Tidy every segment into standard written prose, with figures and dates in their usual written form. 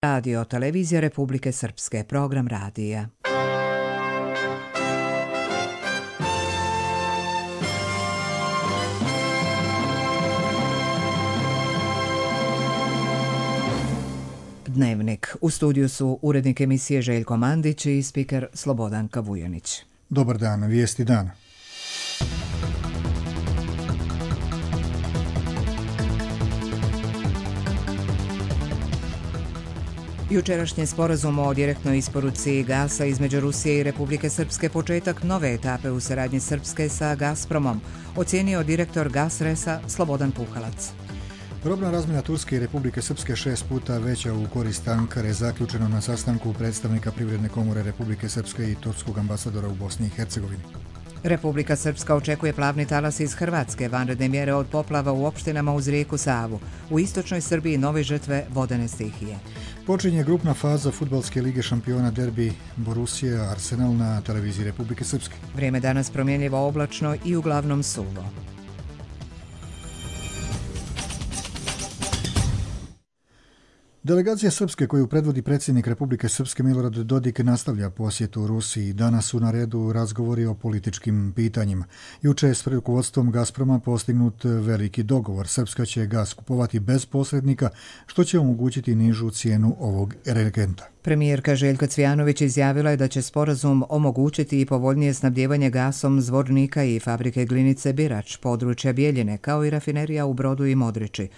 Radio Televizija Republike Srpske, program radija. Dnevnik. U studiju su urednik emisije Željko Mandić i spiker Slobodanka Vujanić. Dobar dan, vijesti dana. Jučerašnji sporazum o direktnoj isporuci gasa između Rusije i Republike Srpske početak nove etape u saradnji Srpske sa Gazpromom, ocijenio direktor Gasresa Slobodan Puhalac. Robna razmjena Turske i Republike Srpske 6 puta veća u korist Ankare zaključeno na sastanku predstavnika Privredne komore Republike Srpske i turskog ambasadora u Bosni i Hercegovini. Republika Srpska očekuje plavni talas iz Hrvatske, vanredne mjere od poplava u opštinama uz rijeku Savu. U istočnoj Srbiji nove žrtve vodene stihije. Počinje grupna faza Fudbalske lige šampiona derbi Borussia Arsenal na televiziji Republike Srpske. Vrijeme danas promjenljivo oblačno i uglavnom suvo. Delegacija Srpske koju predvodi predsjednik Republike Srpske Milorad Dodik nastavlja posjetu Rusiji. Danas su na redu razgovori o političkim pitanjima. Juče je s rukovodstvom Gazproma postignut veliki dogovor. Srpska će gas kupovati bez posrednika, što će omogućiti nižu cijenu ovog energenta. Premijerka Željka Cvijanović izjavila je da će sporazum omogućiti i povoljnije snabdijevanje gasom Zvornika i fabrike glinice Birač, područja Bijeljine, kao i rafinerija u Brodu i Modriči.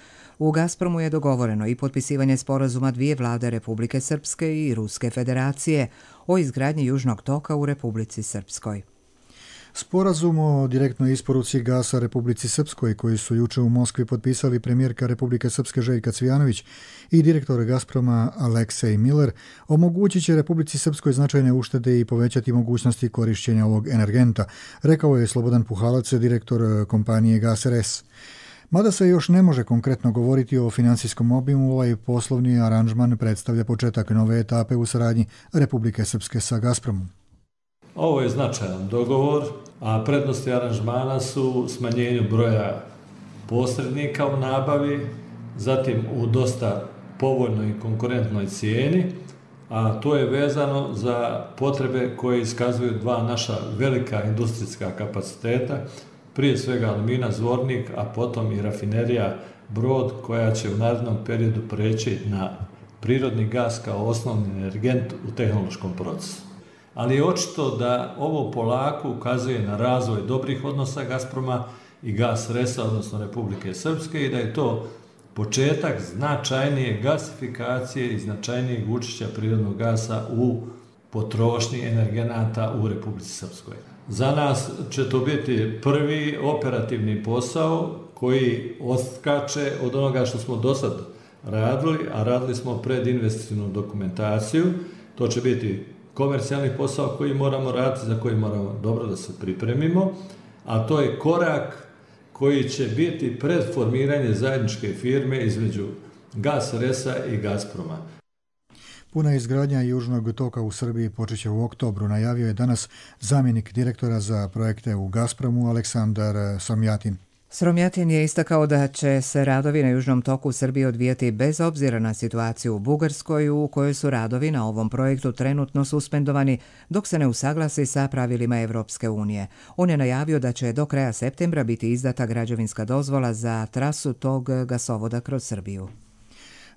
U Gazpromu je dogovoreno i potpisivanje sporazuma dvije vlade Republike Srpske i Ruske federacije o izgradnji Južnog toka u Republici Srpskoj. Sporazum o direktnoj isporuci gasa Republici Srpskoj, koji su juče u Moskvi potpisali premijerka Republike Srpske Željka Cvijanović i direktor Gazproma Aleksej Miller, omogućit će Republici Srpskoj značajne uštede i povećati mogućnosti korišćenja ovog energenta, rekao je Slobodan Puhalac, direktor kompanije GasRS. Mada se još ne može konkretno govoriti o financijskom obimu, ovaj poslovni aranžman predstavlja početak nove etape u saradnji Republike Srpske sa Gazpromom. Ovo je značajan dogovor, a prednosti aranžmana su smanjenju broja posrednika u nabavi, zatim u dosta povoljnoj i konkurentnoj cijeni, a to je vezano za potrebe koje iskazuju dva naša velika industrijska kapaciteta, prije svega Alumina Zvornik, a potom i rafinerija Brod, koja će u narednom periodu preći na prirodni gas kao osnovni energent u tehnološkom procesu. Ali je očito da ovo polako ukazuje na razvoj dobrih odnosa Gazproma i GasResa, odnosno Republike Srpske, i da je to početak značajnije gasifikacije i značajnijeg učešća prirodnog gasa u potrošnji energenata u Republici Srpskoj. Za nas će to biti prvi operativni posao koji odskače od onoga što smo do sad radili, a radili smo predinvesticijnu dokumentaciju. To će biti komercijalni posao koji moramo raditi, za koji moramo dobro da se pripremimo, a to je korak koji će biti pred formiranje zajedničke firme između GasResa i Gazproma. Puna izgradnja Južnog toka u Srbiji počeće u oktobru, najavio je danas zamjenik direktora za projekte u Gazpromu Aleksandar Somjatin. Sromjatin je istakao da će se radovi na Južnom toku u Srbiji odvijati bez obzira na situaciju u Bugarskoj, u kojoj su radovi na ovom projektu trenutno suspendovani dok se ne usaglasi sa pravilima Evropske unije. On je najavio da će do kraja septembra biti izdata građevinska dozvola za trasu tog gasovoda kroz Srbiju.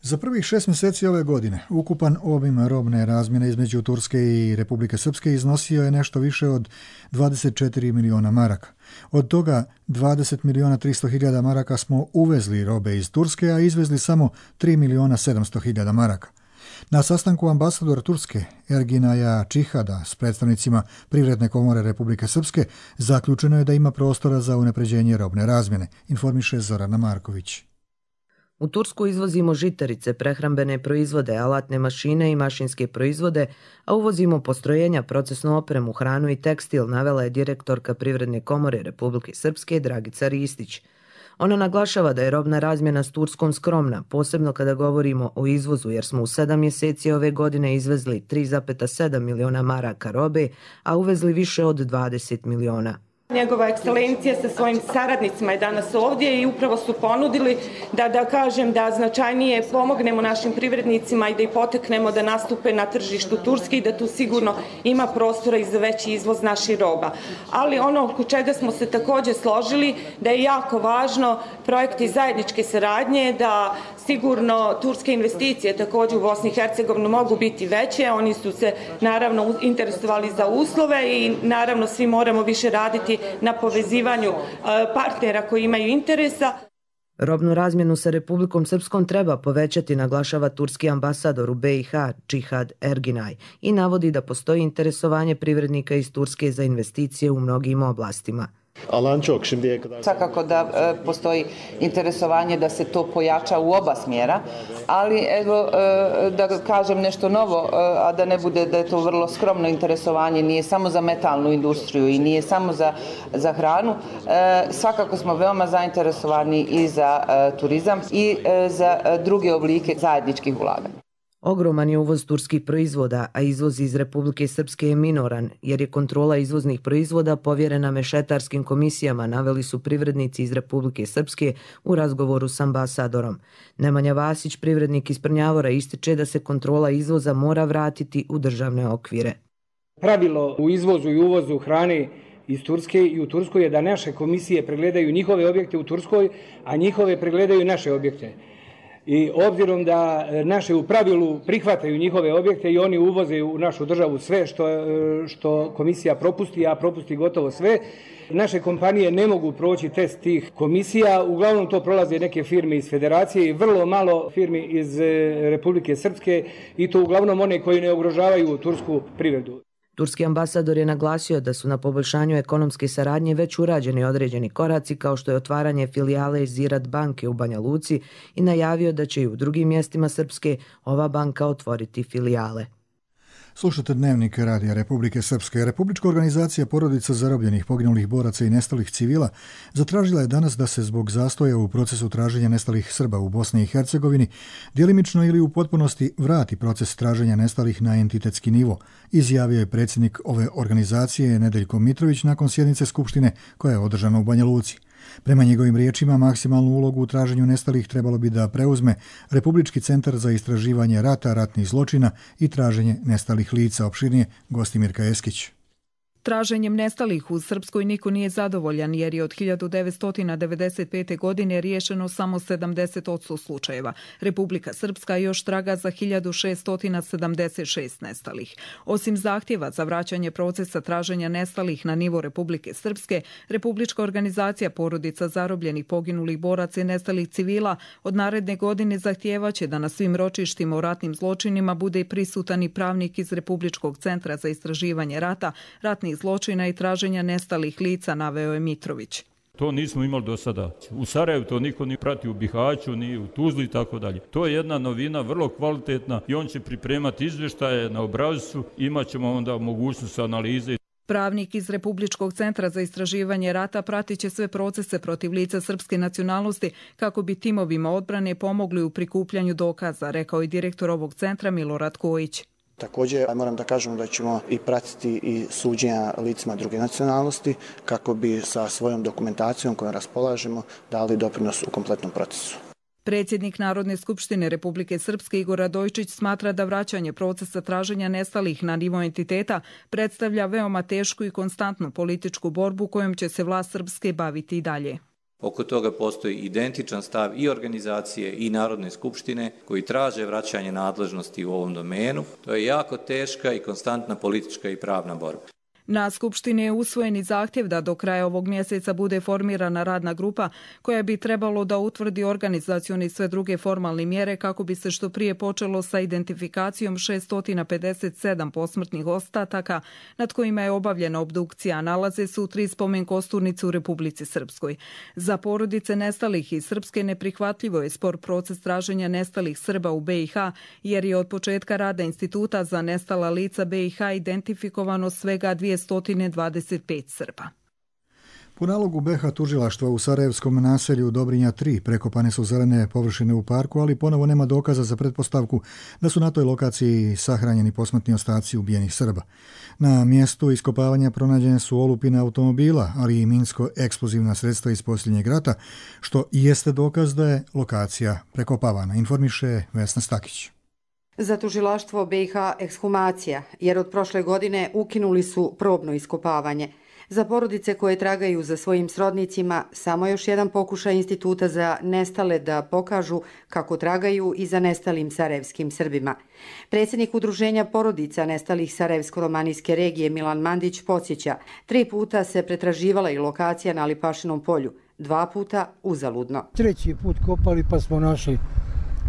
Za prvih 6 mjeseci ove godine ukupan obim robne razmjene između Turske i Republike Srpske iznosio je nešto više od 24 miliona maraka. Od toga 20 miliona 300 hiljada maraka smo uvezli robe iz Turske, a izvezli samo 3 miliona 700 hiljada maraka. Na sastanku ambasadora Turske Erginaja Čihada s predstavnicima Privredne komore Republike Srpske zaključeno je da ima prostora za unapređenje robne razmjene, informiše Zorana Marković. U Tursku izvozimo žitarice, prehrambene proizvode, alatne mašine i mašinske proizvode, a uvozimo postrojenja, procesnu opremu, hranu i tekstil, navela je direktorka Privredne komore Republike Srpske Dragica Ristić. Ona naglašava da je robna razmjena s Turskom skromna, posebno kada govorimo o izvozu, jer smo u 7 mjeseci ove godine izvezli 3,7 miliona maraka robe, a uvezli više od 20 miliona. Njegova ekscelencija sa svojim saradnicima je danas ovdje i upravo su ponudili da značajnije pomognemo našim privrednicima i da ih poteknemo da nastupe na tržištu Turske i da tu sigurno ima prostora i za veći izvoz naših roba. Ali ono oko čega smo se također složili da je jako važno projekti zajedničke saradnje, da sigurno turske investicije također u Bosni i Hercegovini mogu biti veće. Oni su se naravno interesovali za uslove i naravno svi moramo više raditi na povezivanju partnera koji imaju interesa. Robnu razmjenu sa Republikom Srpskom treba povećati, naglašava turski ambasador u BiH Cihad Erginaj i navodi da postoji interesovanje privrednika iz Turske za investicije u mnogim oblastima. Svakako da postoji interesovanje da se to pojača u oba smjera, ali evo da kažem nešto novo, a da ne bude da je to vrlo skromno interesovanje, nije samo za metalnu industriju i nije samo za hranu. Svakako smo veoma zainteresovani i za turizam i za druge oblike zajedničkih ulaganja. Ogroman je uvoz turskih proizvoda, a izvoz iz Republike Srpske je minoran, jer je kontrola izvoznih proizvoda povjerena mešetarskim komisijama, naveli su privrednici iz Republike Srpske u razgovoru s ambasadorom. Nemanja Vasić, privrednik iz Prnjavora, ističe da se kontrola izvoza mora vratiti u državne okvire. Pravilo u izvozu i uvozu hrane iz Turske i u Turskoj je da naše komisije pregledaju njihove objekte u Turskoj, a njihove pregledaju naše objekte. I obzirom da naše u pravilu prihvataju njihove objekte i oni uvoze u našu državu sve što komisija propusti, a propusti gotovo sve, naše kompanije ne mogu proći test tih komisija. Uglavnom to prolaze neke firme iz Federacije i vrlo malo firmi iz Republike Srpske i to uglavnom one koji ne ugrožavaju tursku privredu. Turski ambasador je naglasio da su na poboljšanju ekonomske saradnje već urađeni određeni koraci kao što je otvaranje filijale Ziraat banke u Banja Luci i najavio da će i u drugim mjestima Srpske ova banka otvoriti filijale. Slušate Dnevnik Radija Republike Srpske. Republička organizacija porodica zarobljenih, poginulih boraca i nestalih civila zatražila je danas da se zbog zastoja u procesu traženja nestalih Srba u Bosni i Hercegovini djelimično ili u potpunosti vrati proces traženja nestalih na entitetski nivo, izjavio je predsjednik ove organizacije Nedeljko Mitrović nakon sjednice Skupštine koja je održana u Banja Luci. Prema njegovim riječima, maksimalnu ulogu u traženju nestalih trebalo bi da preuzme Republički centar za istraživanje rata, ratnih zločina i traženje nestalih lica. Opširnije Gostimirka Eskić. Traženjem nestalih u Srpskoj niko nije zadovoljan jer je od 1995. godine riješeno samo 70% slučajeva. Republika Srpska još traga za 1676 nestalih. Osim zahtjeva za vraćanje procesa traženja nestalih na nivo Republike Srpske, Republička organizacija porodica zarobljenih, poginulih boraca i nestalih civila od naredne godine zahtijevaće da na svim ročištima o ratnim zločinima bude i prisutan i pravnik iz Republičkog centra za istraživanje rata, ratnih zločina i traženja nestalih lica, naveo je Mitrović. To nismo imali do sada. U Sarajevu to niko ni prati, u Bihaću, ni u Tuzli i tako dalje. To je jedna novina, vrlo kvalitetna i on će pripremati izvještaje na obrascu, imat ćemo onda mogućnost analize. Pravnik iz Republičkog centra za istraživanje rata pratit će sve procese protiv lica srpske nacionalnosti kako bi timovima odbrane pomogli u prikupljanju dokaza, rekao je direktor ovog centra Milorad Kojić. Također moram da kažem da ćemo i pratiti i suđenja licima druge nacionalnosti kako bi sa svojom dokumentacijom kojom raspolažemo dali doprinos u kompletnom procesu. Predsjednik Narodne skupštine Republike Srpske Igor Radojčić smatra da vraćanje procesa traženja nestalih na nivo entiteta predstavlja veoma tešku i konstantnu političku borbu kojom će se vlast Srpske baviti i dalje. Oko toga postoji identičan stav i organizacije i Narodne skupštine koji traže vraćanje nadležnosti u ovom domenu. To je jako teška i konstantna politička i pravna borba. Na Skupštini je usvojen i zahtjev da do kraja ovog mjeseca bude formirana radna grupa koja bi trebalo da utvrdi organizacione i sve druge formalne mjere kako bi se što prije počelo sa identifikacijom 657 posmrtnih ostataka nad kojima je obavljena obdukcija, a nalaze se u 3 spomen kosturnice u Republici Srpskoj. Za porodice nestalih iz Srpske neprihvatljivo je spor proces traženja nestalih Srba u BiH jer je od početka rada Instituta za nestala lica BiH identifikovano svega 225 Srba. Po nalogu BiH tužilaštva u sarajevskom naselju Dobrinja 3 prekopane su zelene površine u parku, ali ponovo nema dokaza za pretpostavku da su na toj lokaciji sahranjeni posmrtni ostaci ubijenih Srba. Na mjestu iskopavanja pronađene su olupine automobila, ali i minsko-eksplozivna sredstva iz posljednjeg rata, što jeste dokaz da je lokacija prekopavana, informiše Vesna Stakić. Za tužilaštvo BiH ekshumacija, jer od prošle godine ukinuli su probno iskopavanje. Za porodice koje tragaju za svojim srodnicima, samo još jedan pokušaj Instituta za nestale da pokažu kako tragaju i za nestalim sarajevskim Srbima. Predsjednik Udruženja porodica nestalih sarajevsko-romanijske regije Milan Mandić podsjeća, 3 puta se pretraživala i lokacija na Lipašinom polju, 2 puta uzaludno. 3. put kopali pa smo našli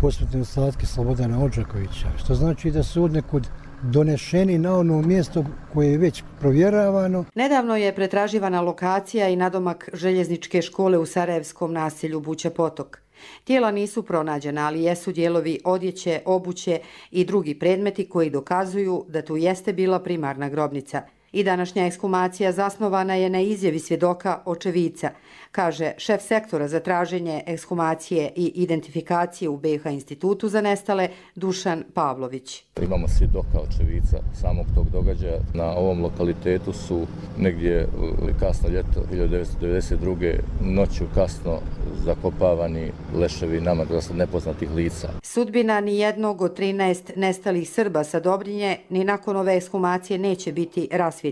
posmrtne ostatke Slobodana Odžakovića, što znači da su odnekud donešeni na ono mjesto koje je već provjeravano. Nedavno je pretraživana lokacija i nadomak željezničke škole u sarajevskom naselju Buća Potok. Tijela nisu pronađena, ali jesu dijelovi odjeće, obuće i drugi predmeti koji dokazuju da tu jeste bila primarna grobnica. I današnja ekshumacija zasnovana je na izjavi svjedoka očevica, kaže šef sektora za traženje ekshumacije i identifikacije u BiH Institutu za nestale Dušan Pavlović. Imamo svjedoka očevica samog tog događaja. Na ovom lokalitetu su negdje kasno ljeto 1992. noću kasno zakopavani leševi nama dosta nepoznatih lica. Sudbina ni jednog od 13 nestalih Srba sa Dobrinje ni nakon ove ekshumacije neće biti rasvjetljena.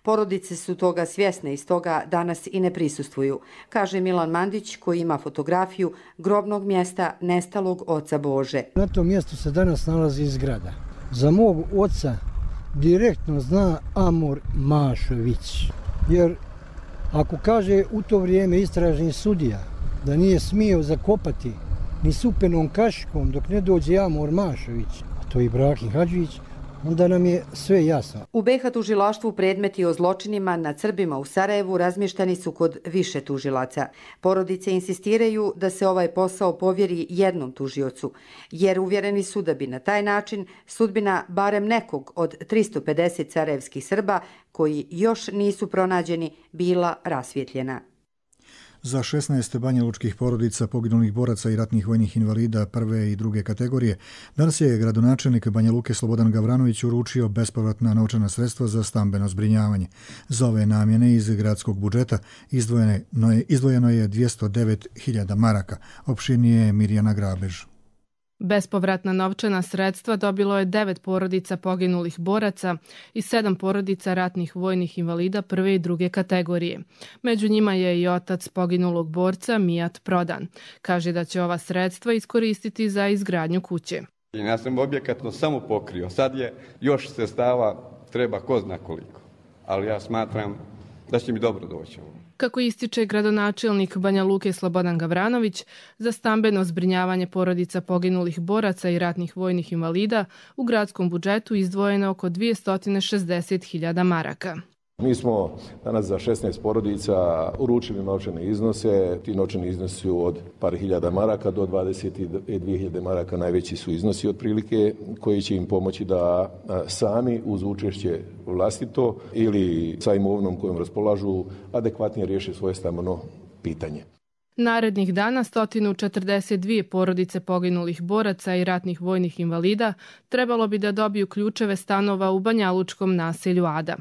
Porodice su toga svjesne i stoga danas i ne prisustvuju, kaže Milan Mandić koji ima fotografiju grobnog mjesta nestalog oca Bože. Na tom mjestu se danas nalazi zgrada. Za mog oca direktno zna Amor Mašović, jer ako kaže u to vrijeme istražni sudija da nije smio zakopati ni supenom kašikom dok ne dođe Amor Mašović, a to je Ibrahim Hadžić, onda nam je sve jasno. U BiH tužilaštvu predmeti o zločinima nad Srbima u Sarajevu razmještani su kod više tužilaca. Porodice insistiraju da se ovaj posao povjeri jednom tužiocu, jer uvjereni su da bi na taj način sudbina barem nekog od 350 sarajevskih Srba koji još nisu pronađeni bila rasvjetljena. Za 16 banjalučkih porodica poginulih boraca i ratnih vojnih invalida prve i druge kategorije danas je gradonačelnik Banja Luke Slobodan Gavranović uručio bespovratna novčana sredstva za stambeno zbrinjavanje. Za ove namjene iz gradskog budžeta izdvojeno je 209.000 maraka, opširnije Mirjana Grabež. Bespovratna novčana sredstva dobilo je 9 porodica poginulih boraca i 7 porodica ratnih vojnih invalida prve i druge kategorije. Među njima je i otac poginulog borca Mijat Prodan. Kaže da će ova sredstva iskoristiti za izgradnju kuće. Ja sam objekat samo pokrio. Sad je još sredstava treba ko zna koliko. Ali ja smatram da će mi dobro doći. Kako ističe gradonačelnik Banja Luke Slobodan Gavranović, za stambeno zbrinjavanje porodica poginulih boraca i ratnih vojnih invalida u gradskom budžetu izdvojeno oko 260.000 maraka. Mi smo danas za 16 porodica uručili novčane iznose. Ti novčani iznosi su od par hiljada maraka do 22.000 maraka. Najveći su iznosi otprilike koji će im pomoći da sami uz učešće vlastito ili sa imovinom kojom raspolažu adekvatnije riješe svoje stambeno pitanje. Narednih dana 142 porodice poginulih boraca i ratnih vojnih invalida trebalo bi da dobiju ključeve stanova u banjalučkom naselju Ada.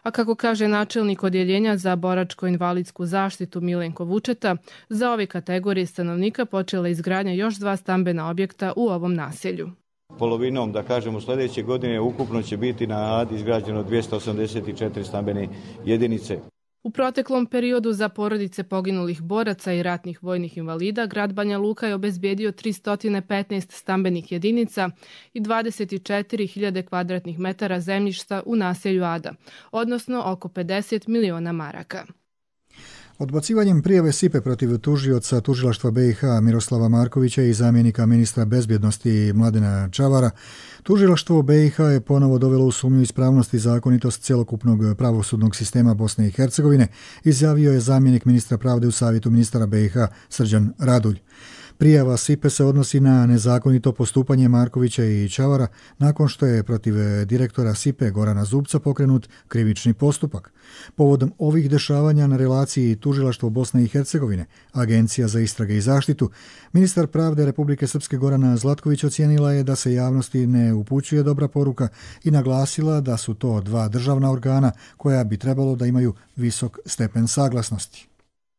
A kako kaže načelnik odjeljenja za boračko-invalidsku zaštitu Milenko Vučeta, za ove kategorije stanovnika počela izgradnja još 2 stambena objekta u ovom naselju. Polovinom, da kažemo, sljedeće godine ukupno će biti na Adi izgrađeno 284 stambene jedinice. U proteklom periodu za porodice poginulih boraca i ratnih vojnih invalida grad Banja Luka je obezbijedio 315 stambenih jedinica i 24.000 kvadratnih metara zemljišta u naselju Ada, odnosno oko 50 miliona maraka. Odbacivanjem prijave SIPE protiv tužioca tužilaštva BiH Miroslava Markovića i zamjenika ministra bezbjednosti Mladena Čavara, tužilaštvo BiH je ponovo dovelo u sumnju ispravnost i zakonitost cjelokupnog pravosudnog sistema Bosne i Hercegovine, izjavio je zamjenik ministra pravde u savjetu ministara BiH Srđan Radulj. Prijava SIPE se odnosi na nezakonito postupanje Markovića i Čavara nakon što je protiv direktora SIPE Gorana Zubca pokrenut krivični postupak. Povodom ovih dešavanja na relaciji Tužilaštvo Bosne i Hercegovine, Agencija za istrage i zaštitu, ministar pravde Republike Srpske Gorana Zlatković ocijenila je da se javnosti ne upućuje dobra poruka i naglasila da su to dva državna organa koja bi trebalo da imaju visok stepen saglasnosti.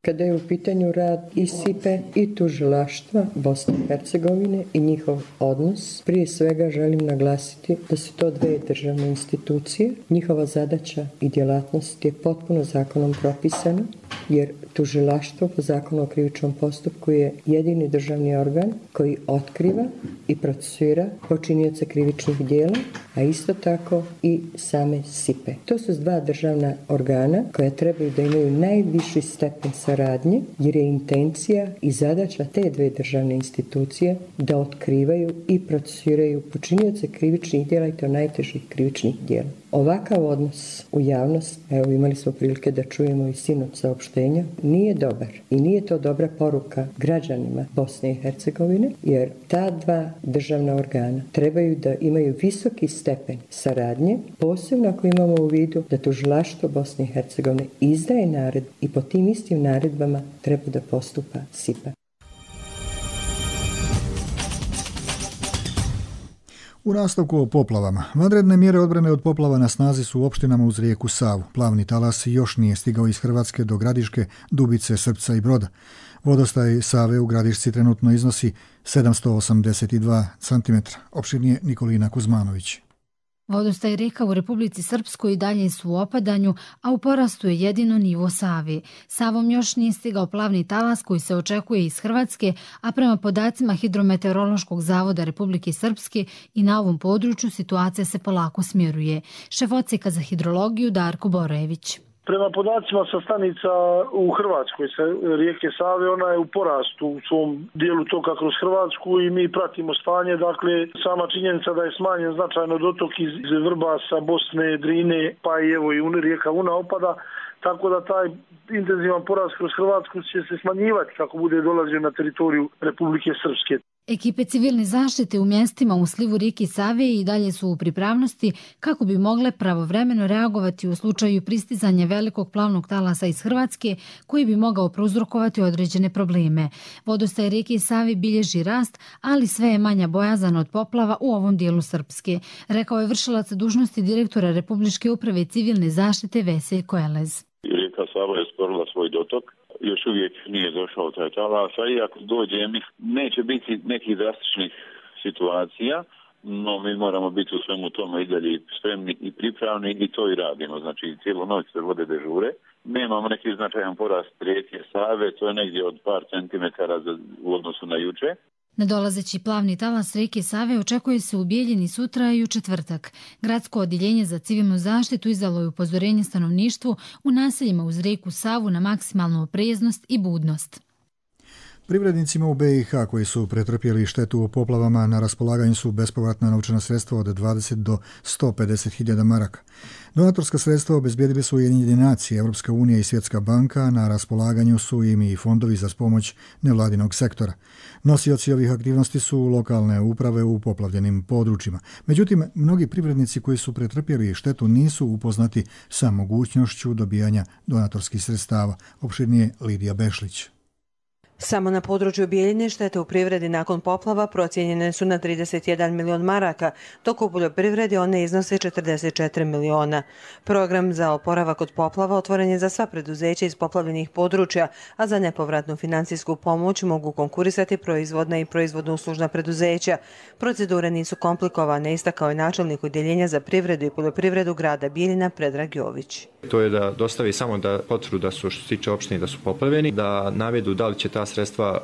Kada je u pitanju rad i SIPE i tužilaštva Bosne i Hercegovine i njihov odnos, prije svega želim naglasiti da su to dve državne institucije. Njihova zadaća i djelatnost je potpuno zakonom propisana, jer tužilaštvo po zakonu o krivičnom postupku je jedini državni organ koji otkriva i procesuira počinioce krivičnih djela, a isto tako i same SIPE. To su dva državna organa koja trebaju da imaju najviši stepen saradnje, jer je intencija i zadaća te dve državne institucije da otkrivaju i procesuiraju počinioce krivičnih djela i to najtežih krivičnih djela. Ovakav odnos u javnost, evo imali smo prilike da čujemo i sinoć saopštenja, nije dobar i nije to dobra poruka građanima Bosne i Hercegovine, jer ta dva državna organa trebaju da imaju visoki stepen saradnje, posebno ako imamo u vidu da tužilaštvo Bosne i Hercegovine izdaje naredbu i po tim istim naredbama treba da postupa SIPA. U nastavku o poplavama. Vanredne mjere odbrane od poplava na snazi su u opštinama uz rijeku Savu. Plavni talas još nije stigao iz Hrvatske do Gradiške, Dubice, Srpca i Broda. Vodostaj Save u Gradišci trenutno iznosi 782 cm. Opširnije Nikolina Kuzmanović. Vodostaj rijeka u Republici Srpskoj i dalje su u opadanju, a u porastu je jedino nivo Save. Savom još nije stigao plavni talas koji se očekuje iz Hrvatske, a prema podacima Hidrometeorološkog zavoda Republike Srpske i na ovom području situacija se polako smjeruje. Šef odsjeka za hidrologiju Darko Borojević. Prema podacima sa stanica u Hrvatskoj, sa rijeke Save, ona je u porastu u svom dijelu toka kroz Hrvatsku i mi pratimo stanje. Dakle, sama činjenica da je smanjen značajno dotok iz Vrbasa, Bosne, Drine, pa i evo i rijeka Una opada, tako da taj intenzivan porast kroz Hrvatsku će se smanjivati kako bude dolazio na teritoriju Republike Srpske. Ekipe civilne zaštite u mjestima u slivu rijeke Save i dalje su u pripravnosti kako bi mogle pravovremeno reagovati u slučaju pristizanja velikog plavnog talasa iz Hrvatske koji bi mogao prouzrokovati određene probleme. Vodostaj rijeke Save bilježi rast, ali sve je manja bojazan od poplava u ovom dijelu Srpske, rekao je vršilac dužnosti direktora Republičke uprave civilne zaštite Veseljko Elez. Rijeka Sava je sporila svoj dotok. Još uvijek nije došao taj talas, a i ako dođe, neće biti nekih drastičnih situacija, no mi moramo biti u svemu tome i dalje spremni i pripravni i to i radimo. Znači, cijelu noć se vode dežure. Nemamo neki značajan porast rijeke Save, to je negdje od par centimetara u odnosu na juče. Nadolazeći plavni talas rijeke Save očekuje se u Bijeljini sutra i u četvrtak. Gradsko odjeljenje za civilnu zaštitu izdalo je upozorenje stanovništvu u naseljima uz rijeku Savu na maksimalnu opreznost i budnost. Privrednicima u BiH koji su pretrpjeli štetu u poplavama na raspolaganju su bespovratna novčana sredstva od 20 do 150.000 maraka. Donatorska sredstva obezbijedili su Ujedinjene nacije, Europska unija i Svjetska banka, na raspolaganju su im i fondovi za pomoć nevladinog sektora. Nosioci ovih aktivnosti su lokalne uprave u poplavljenim područjima. Međutim, mnogi privrednici koji su pretrpjeli štetu nisu upoznati sa mogućnošću dobijanja donatorskih sredstava. Opširnije Lidija Bešlić. Samo na području Bijeljine štete u privredi nakon poplava procijenjene su na 31 milion maraka, dok u poljoprivredi one iznose 44 miliona. Program za oporavak od poplava otvoren je za sva preduzeća iz poplavljenih područja, a za nepovratnu financijsku pomoć mogu konkurisati proizvodna i proizvodno-uslužna preduzeća. Procedure nisu komplikovane, istakao je načelnik odjeljenja za privredu i poljoprivredu grada Bijeljina Predrag Jović. To je da dostavi samo da potvrdu da su, što se tiče opštine, da su poplavljeni, da navedu da li će ta sredstva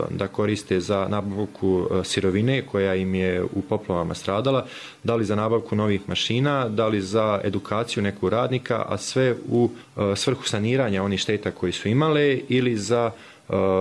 da koriste za nabavku sirovine koja im je u poplavama stradala, da li za nabavku novih mašina, da li za edukaciju nekog radnika, a sve u svrhu saniranja onih šteta koji su imale ili za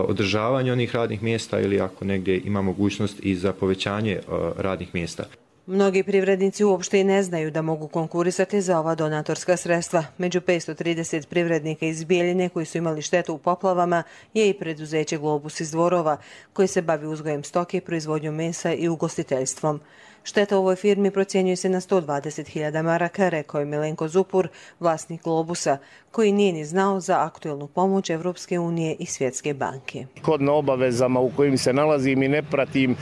održavanje onih radnih mjesta ili ako negdje ima mogućnost i za povećanje radnih mjesta. Mnogi privrednici uopšte i ne znaju da mogu konkurisati za ova donatorska sredstva. Među 530 privrednika iz Bijeljine koji su imali štetu u poplavama je i preduzeće Globus iz Dvorova, koji se bavi uzgojem stoke, proizvodnjom mesa i ugostiteljstvom. Šteta u ovoj firmi procjenjuje se na 120.000 maraka, rekao je Milenko Zupur, vlasnik Globusa, koji nije ni znao za aktuelnu pomoć Evropske unije i Svjetske banke. Shodno obavezama u kojim se nalazim i ne pratim,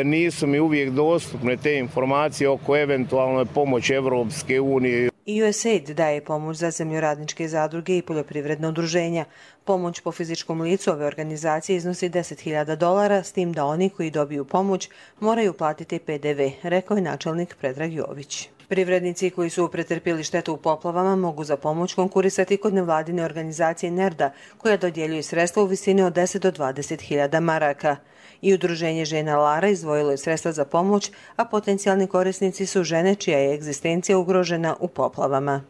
nisu mi uvijek dostupne te informacije oko eventualne pomoći Evropske unije. I USAID daje pomoć za zemljoradničke zadruge i poljoprivredne udruženja. Pomoć po fizičkom licu ove organizacije iznosi $10.000, s tim da oni koji dobiju pomoć moraju platiti PDV, rekao je načelnik Predrag Jović. Privrednici koji su pretrpjeli štetu u poplavama mogu za pomoć konkurisati kod nevladine organizacije NERDA, koja dodjeljuje sredstva u visini od 10 do 20.000 maraka. I udruženje žena Lara izdvojilo je sredstva za pomoć, a potencijalni korisnici su žene čija je egzistencija ugrožena u poplavama.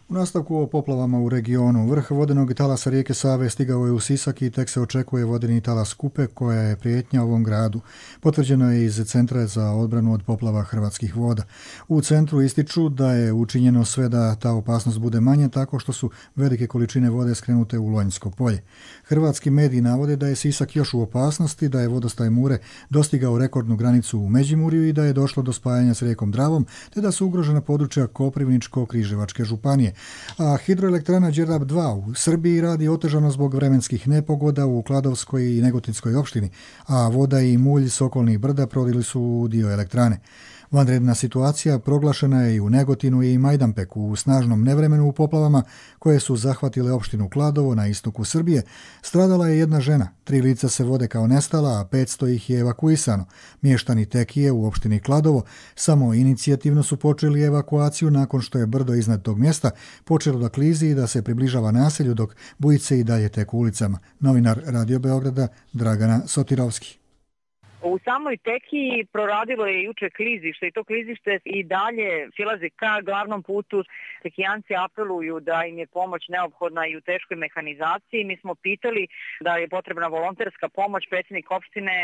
U nastavku o poplavama u regionu, vrh vodenog talasa rijeke Save stigao je u Sisak i tek se očekuje vodeni talas Kupe, koja je prijetnja ovom gradu. Potvrđeno je iz Centra za odbranu od poplava Hrvatskih voda. U centru ističu da je učinjeno sve da ta opasnost bude manja tako što su velike količine vode skrenute u Lonjsko polje. Hrvatski mediji navode da je Sisak još u opasnosti, da je vodostaj Mure dostigao rekordnu granicu u Međimurju i da je došlo do spajanja s rijekom Dravom, te da su ugrožena područja Koprivničko-Križevačke županije. A hidroelektrana Đerdap 2 u Srbiji radi otežano zbog vremenskih nepogoda u Kladovskoj i Negotinskoj opštini, a voda i mulj s okolnih brda prodili su dio elektrane. Vanredna situacija proglašena je i u Negotinu i Majdanpeku u snažnom nevremenu u poplavama koje su zahvatile opštinu Kladovo na istoku Srbije. Stradala je jedna žena, 3 lica se vode kao nestala, a 500 ih je evakuisano. Mještani Tekije u opštini Kladovo samo inicijativno su počeli evakuaciju nakon što je brdo iznad tog mjesta počelo da klizi i da se približava naselju dok bujice i dalje teku ulicama. Novinar Radio Beograda Dragana Sotirovski. U samoj Tekiji proradilo je juče klizište i to klizište i dalje silazi ka glavnom putu. Tekijanci apeluju da im je pomoć neophodna i u teškoj mehanizaciji. Mi smo pitali da je potrebna volonterska pomoć. Predsjednik opštine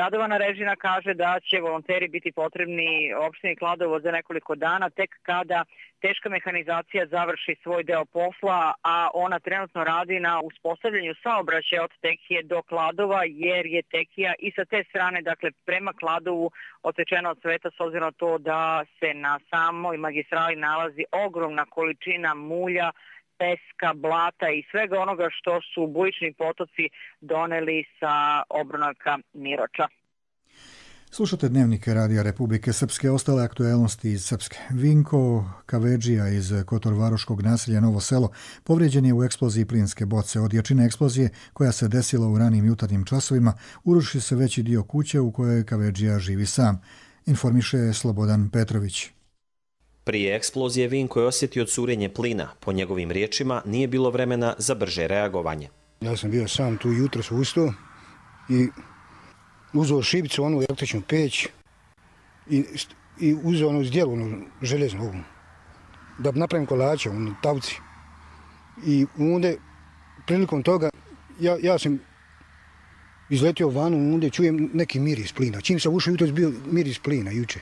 Radovana Režina kaže da će volonteri biti potrebni opštini Kladovo za nekoliko dana, tek kada teška mehanizacija završi svoj deo posla, a ona trenutno radi na uspostavljanju saobraćaja od Tekije do Kladova, jer je Tekija i sa te strane, dakle prema Kladovu, otečena od sveta s obzirom na to da se na samoj magistrali nalazi ogromna količina mulja, peska, blata i svega onoga što su bujični potoci doneli sa obronaka Miroča. Slušate dnevnike Radija Republike Srpske, ostale aktuelnosti iz Srpske. Vinko Kavedžija iz Kotorvaroškog naselja Novo Selo povrijeđen je u eksploziji plinske boce. Od jačine eksplozije, koja se desila u ranim jutarnjim časovima, uruši se veći dio kuće u kojoj Kavedžija živi sam, informiše Slobodan Petrović. Prije eksplozije Vinko je osjetio curenje plina. Po njegovim riječima nije bilo vremena za brže reagovanje. Ja sam bio sam tu jutros ustao i uzeo šibicu, onu električnu peć i uzeo onu zdjelu, onu železnu ovu, da napravim kolače, onu tavci. I onda, prilikom toga, ja sam izletio vanu, onda čujem neki miris plina. Čim sam ušao jutros, bio miris plina juče.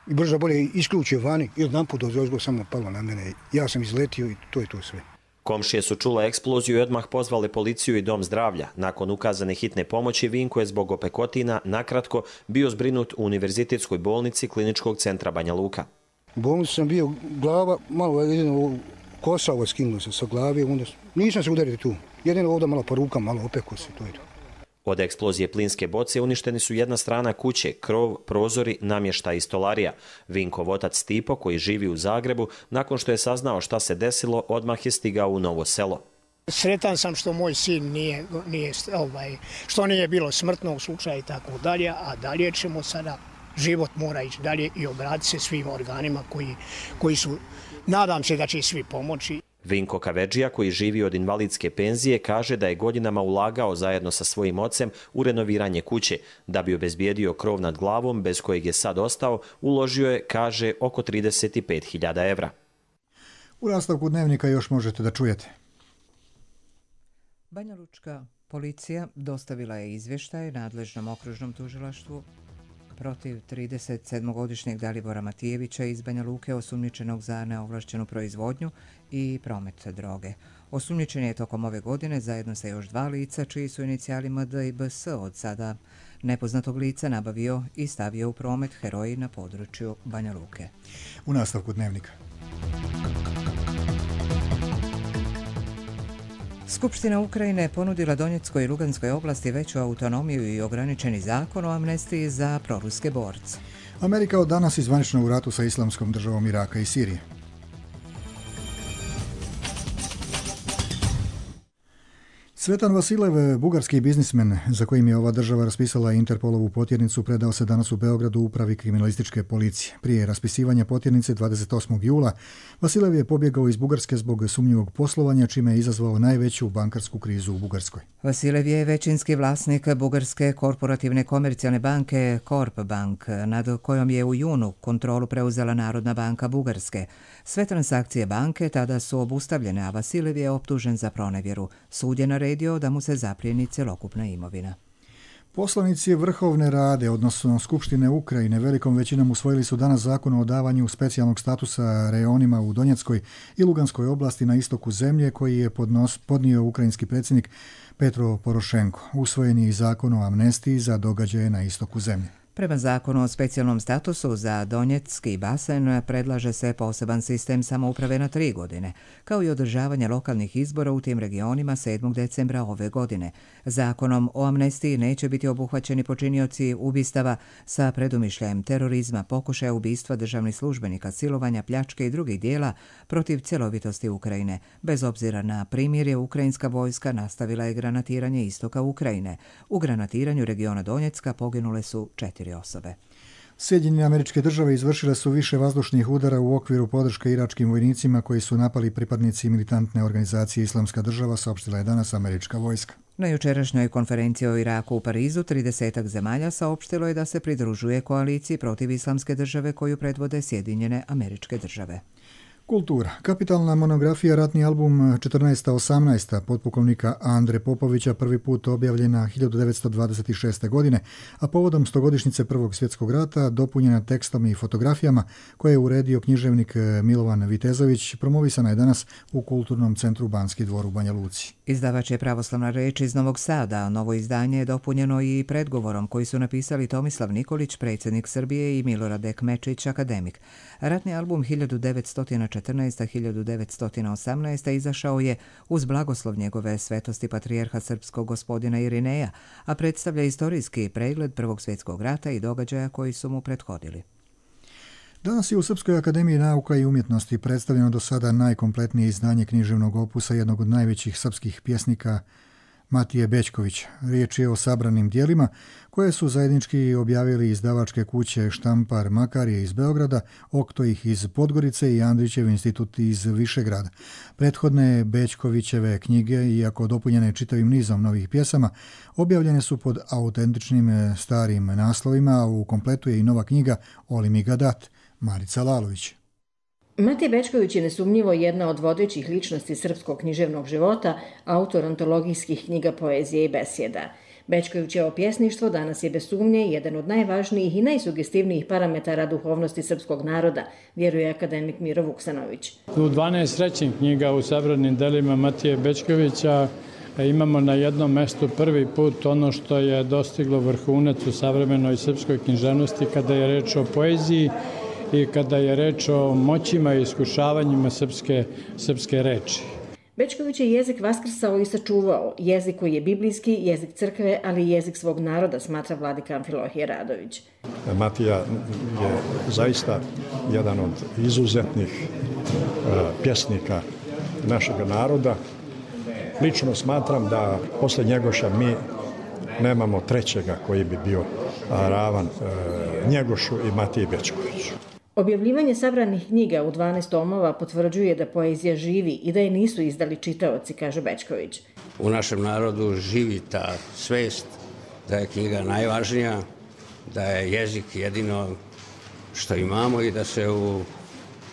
I brzo bolje isključio vani i odnamput dozgo samo palo na mene. Ja sam izletio i to je to sve. Komšije su čule eksploziju i odmah pozvali policiju i dom zdravlja. Nakon ukazane hitne pomoći, Vinko je zbog opekotina nakratko bio zbrinut u Univerzitetskoj bolnici Kliničkog centra Banja Luka. U bolnici sam bio glava, malo jedino kosa ovo skinulo se sa glave, onda nisam se udario tu. Jedino ovdje malo po rukama, malo opeko se, to je to. Od eksplozije plinske boce uništeni su jedna strana kuće, krov, prozori, namještaj i stolarija. Vinkov otac Stipo, koji živi u Zagrebu, nakon što je saznao šta se desilo, odmah je stigao u Novo Selo. Sretan sam što moj sin što nije bilo smrtnog slučaja i tako dalje, a dalje ćemo sada, život mora ići dalje i obratiti se svim organima koji su, nadam se da će svi pomoći. Vinko Kavedžija, koji živi od invalidske penzije, kaže da je godinama ulagao zajedno sa svojim ocem u renoviranje kuće. Da bi obezbijedio krov nad glavom, bez kojeg je sad ostao, uložio je, kaže, oko 35.000 evra. U nastavku dnevnika još možete da čujete. Banjalučka policija dostavila je izvještaj nadležnom okružnom tužilaštvu protiv 37-godišnjeg Dalibora Matijevića iz Banja Luke, osumnjičenog za neovlašćenu proizvodnju i promet droge. Osumnjičen je tokom ove godine zajedno sa još 2 lica čiji su inicijali MD i BS od sada nepoznatog lica nabavio i stavio u promet heroin na području Banja Luke. U nastavku dnevnika. Skupština Ukrajine ponudila Donjeckoj i Luganskoj oblasti veću autonomiju i ograničeni zakon o amnestiji za proruske borce. Amerika od danas izvanično u ratu sa Islamskom državom Iraka i Sirije. Cvetan Vasilev, bugarski biznismen za kojim je ova država raspisala Interpolovu potjernicu, predao se danas u Beogradu upravi kriminalističke policije. Prije raspisivanja potjernice 28. jula Vasilev je pobjegao iz Bugarske zbog sumnjivog poslovanja, čime je izazvao najveću bankarsku krizu u Bugarskoj. Vasilev je većinski vlasnik bugarske korporativne komercijalne banke Corp Bank, nad kojom je u junu kontrolu preuzela Narodna banka Bugarske. Sve transakcije banke tada su obustavljene, a Vasilev je optužen za pronevjeru. Sud je naredio da mu se zaplijeni cjelokupna imovina. Poslanici Vrhovne rade, odnosno Skupštine Ukrajine, velikom većinom usvojili su danas zakon o davanju specijalnog statusa reonima u Donjeckoj i Luganskoj oblasti na istoku zemlje koji je podnio ukrajinski predsjednik Petro Porošenko. Usvojen je i zakon o amnestiji za događaje na istoku zemlje. Prema zakonu o specijalnom statusu za Donjecki basen predlaže se poseban sistem samouprave na 3 godine, kao i održavanje lokalnih izbora u tim regionima 7. decembra ove godine. Zakonom o amnestiji neće biti obuhvaćeni počinioci ubistava sa predumišljajem terorizma, pokušaja ubistva državnih službenika, silovanja, pljačke i drugih dijela protiv cjelovitosti Ukrajine. Bez obzira na primirje, ukrajinska vojska nastavila je granatiranje istoka Ukrajine. U granatiranju regiona Donjecka poginule su 4 osobe. Sjedinjene Američke Države izvršile su više vazdušnih udara u okviru podrške iračkim vojnicima koji su napali pripadnici militantne organizacije Islamska država, saopštila je danas američka vojska. Na jučerašnjoj konferenciji o Iraku u Parizu 30 zemalja saopštilo je da se pridružuje koaliciji protiv Islamske države koju predvode Sjedinjene Američke Države. Kultura. Kapitalna monografija Ratni album 1418. potpukovnika Andre Popovića prvi put objavljena 1926. godine, a povodom 100-godišnjice Prvog svjetskog rata dopunjena tekstom i fotografijama koje je uredio književnik Milovan Vitezović, promovisana je danas u Kulturnom centru Banski dvor u Banja Luci. Izdavač je Pravoslavna reč iz Novog Sada. Novo izdanje je dopunjeno i predgovorom koji su napisali Tomislav Nikolić, predsjednik Srbije, i Milorad Ekmečić, akademik. Ratni album 1914-1918 izašao je uz blagoslov njegove svetosti patrijarha srpskog gospodina Irineja, a predstavlja istorijski pregled Prvog svjetskog rata i događaja koji su mu prethodili. Danas je u Srpskoj akademiji nauka i umjetnosti predstavljeno do sada najkompletnije izdanje književnog opusa jednog od najvećih srpskih pjesnika Matije Bećkovića. Riječ je o sabranim dijelima koje su zajednički objavili izdavačke kuće Štampar Makarije iz Beograda, Oktojih iz Podgorice i Andrićev institut iz Višegrada. Prethodne Bećkovićeve knjige, iako dopunjene čitavim nizom novih pjesama, objavljene su pod autentičnim starim naslovima, a u kompletu je i nova knjiga Oli mi ga dat, Marica Lalović. Matije Bećković je nesumnjivo jedna od vodećih ličnosti srpskog književnog života, autor antologijskih knjiga poezije i besjeda. Bećkovićevo pjesništvo danas je bez sumnje jedan od najvažnijih i najsugestivnijih parametara duhovnosti srpskog naroda, vjeruje akademik Miro Vuksanović. U 12 rećih knjiga u sabranim delima Matije Bećkovića imamo na jednom mestu prvi put ono što je dostiglo vrhunac u savremenoj srpskoj književnosti kada je reč o poeziji i kada je reč o moćima i iskušavanjima srpske reči. Bećković je jezik vaskrsao i sačuvao, jezik koji je biblijski, jezik crkve, ali i jezik svog naroda, smatra vladika Amfilohije Radović. Matija je zaista jedan od izuzetnih pjesnika našeg naroda. Lično smatram da posle Njegoša mi nemamo trećega koji bi bio ravan Njegošu i Matiji Bećkoviću. Objavljivanje sabranih knjiga u 12 tomova potvrđuje da poezija živi i da je nisu izdali čitaoci, kaže Bećković. U našem narodu živi ta svest da je knjiga najvažnija, da je jezik jedino što imamo i da se u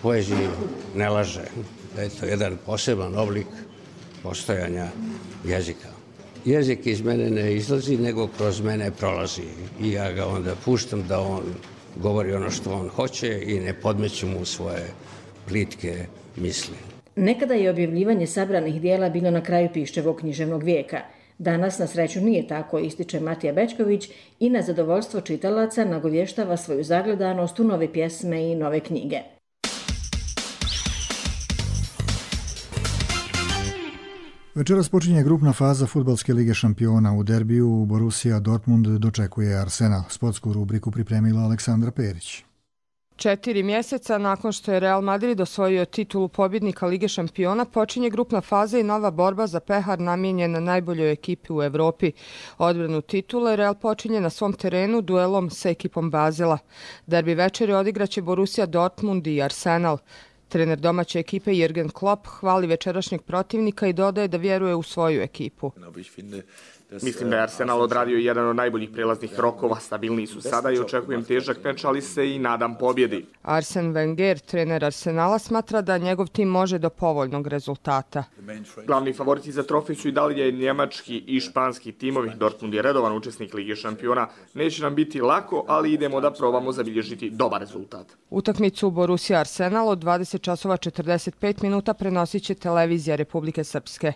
poeziji ne laže, da je to jedan poseban oblik postojanja jezika. jezik iz mene ne izlazi, nego kroz mene prolazi. I ja ga onda puštam da on govori ono što on hoće i ne podmeću mu svoje plitke misli. Nekada je objavljivanje sabranih dijela bilo na kraju Piščevog književnog vijeka. Danas, na sreću, nije tako, ističe Matija Bećković i na zadovoljstvo čitalaca nagovještava svoju zagledanost u nove pjesme i nove knjige. Večeras počinje grupna faza Fudbalske lige šampiona. U derbiju Borussia Dortmund dočekuje Arsenal. Sportsku rubriku pripremila Aleksandra Perić. 4 mjeseca nakon što je Real Madrid osvojio titulu pobjednika Lige šampiona, počinje grupna faza i nova borba za pehar namijenjena najboljoj ekipi u Evropi. Odbranu titule Real počinje na svom terenu duelom sa ekipom Bazela. Derbi večeri odigraće Borussia Dortmund i Arsenal. Trener domaće ekipe Jürgen Klopp hvali večerašnjeg protivnika i dodaje da vjeruje u svoju ekipu. Mislim da je Arsenal odradio jedan od najboljih prelaznih rokova, stabilniji su sada i očekujem težak meč, ali se i nadam pobjedi. Arsene Wenger, trener Arsenala, smatra da njegov tim može do povoljnog rezultata. Glavni favoriti za trofej su i dalje njemački i španski timovi. Dortmund je redovan učesnik Lige šampiona. Neće nam biti lako, ali idemo da probamo zabilježiti dobar rezultat. Utakmicu Borussia Arsenal od 20:45 minuta prenosit će televizija Republike Srpske.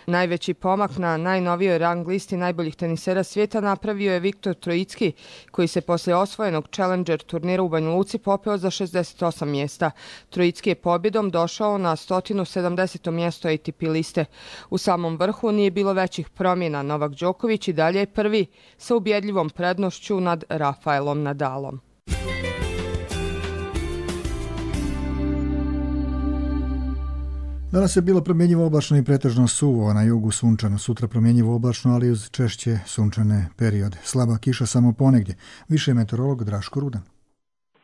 Najveći pomak na najnovijoj rang listi najboljih tenisera svijeta napravio je Viktor Trojicki, koji se poslije osvojenog Challenger turnira u Banja Luci popeo za 68 mjesta. Trojicki je pobjedom došao na 170. mjesto ATP liste. U samom vrhu nije bilo većih promjena. Novak Đoković i dalje je prvi sa ubjedljivom prednošću nad Rafaelom Nadalom. Danas je bilo promjenjivo oblačno i pretežno suvo, a na jugu sunčano. Sutra promjenjivo oblačno, ali uz češće sunčane periode. Slaba kiša samo ponegdje. Više meteorolog Draško Rudan.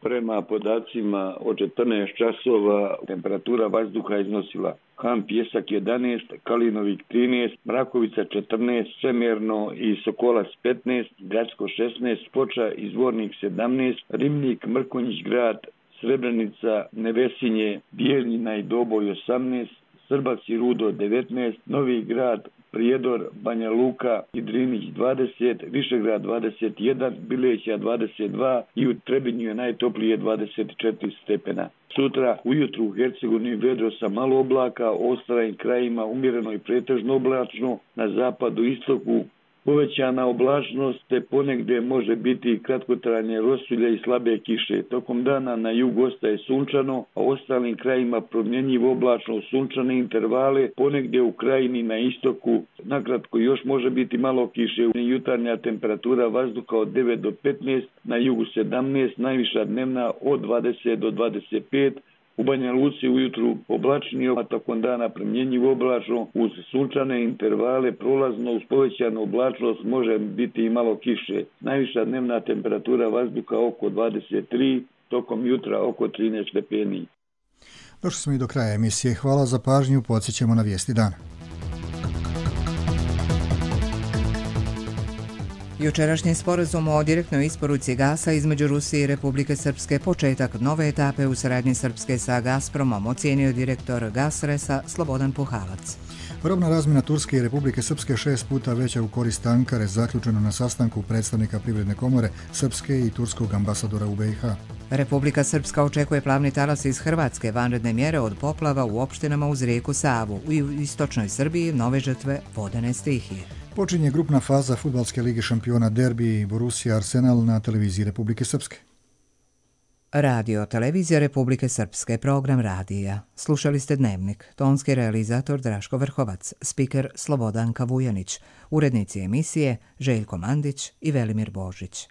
Prema podacima od 14 časova temperatura vazduha iznosila Han Pjesak 11, Kalinovik 13, Mrakovica 14, Semerno i Sokolac 15, Gradsko 16, Foča i Zvornik 17, Rimnik, Mrkonjić grad, Srebrenica, Nevesinje, Bijeljina i Doboj 18, Srbac i Rudo 19, Novi grad, Prijedor, Banja Luka i Drinić 20, Višegrad 21, Bileća 22 i u Trebinju je najtoplije 24 stepena. Sutra ujutru u Hercegovini vedro sa malo oblaka, ostalim krajima umjereno i pretežno oblačno, na zapadu i istoku povećana oblačnost, te ponegdje može biti kratkotrajne rosulje i slabe kiše. Tokom dana na jugu ostaje sunčano, a u ostalim krajima promjenjivo oblačno sunčane intervale, ponegdje u krajini na istoku. Nakratko još može biti malo kiše. Jutarnja temperatura vazduha od 9 do 15, na jugu 17, najviša dnevna od 20 do 25, u Banja Luci ujutru oblačnije, a tokom dana promjenjivo oblačno uz sunčane intervale, prolazno uz povećanu oblačnost može biti i malo kiše. Najviša dnevna temperatura vazduha oko 23, tokom jutra oko 13 stepeni. Došli smo i do kraja emisije. Hvala za pažnju, podsjećamo na vijesti dana. Jučerašnji sporazum o direktnoj isporuci gasa između Rusije i Republike Srpske, početak nove etape u saradnji Srpske sa Gazpromom, ocijenio direktor Gasresa Slobodan Puhalac. Robna razmjena Turske i Republike Srpske 6 puta veća u korist Ankare, zaključeno na sastanku predstavnika Privredne komore Srpske i turskog ambasadora u BiH. Republika Srpska očekuje plavni talas iz Hrvatske, vanredne mjere od poplava u opštinama uz rijeku Savu. U istočnoj Srbiji nove žrtve vodene stihije. Počinje grupna faza Fudbalske lige šampiona derbi Borussia Arsenal na televiziji Republike Srpske. Radio Televizija Republike Srpske, program radija. Slušali ste Dnevnik, tonski realizator Draško Vrhovac, spiker Slobodanka Vujanić, urednici emisije Željko Mandić i Velimir Božić.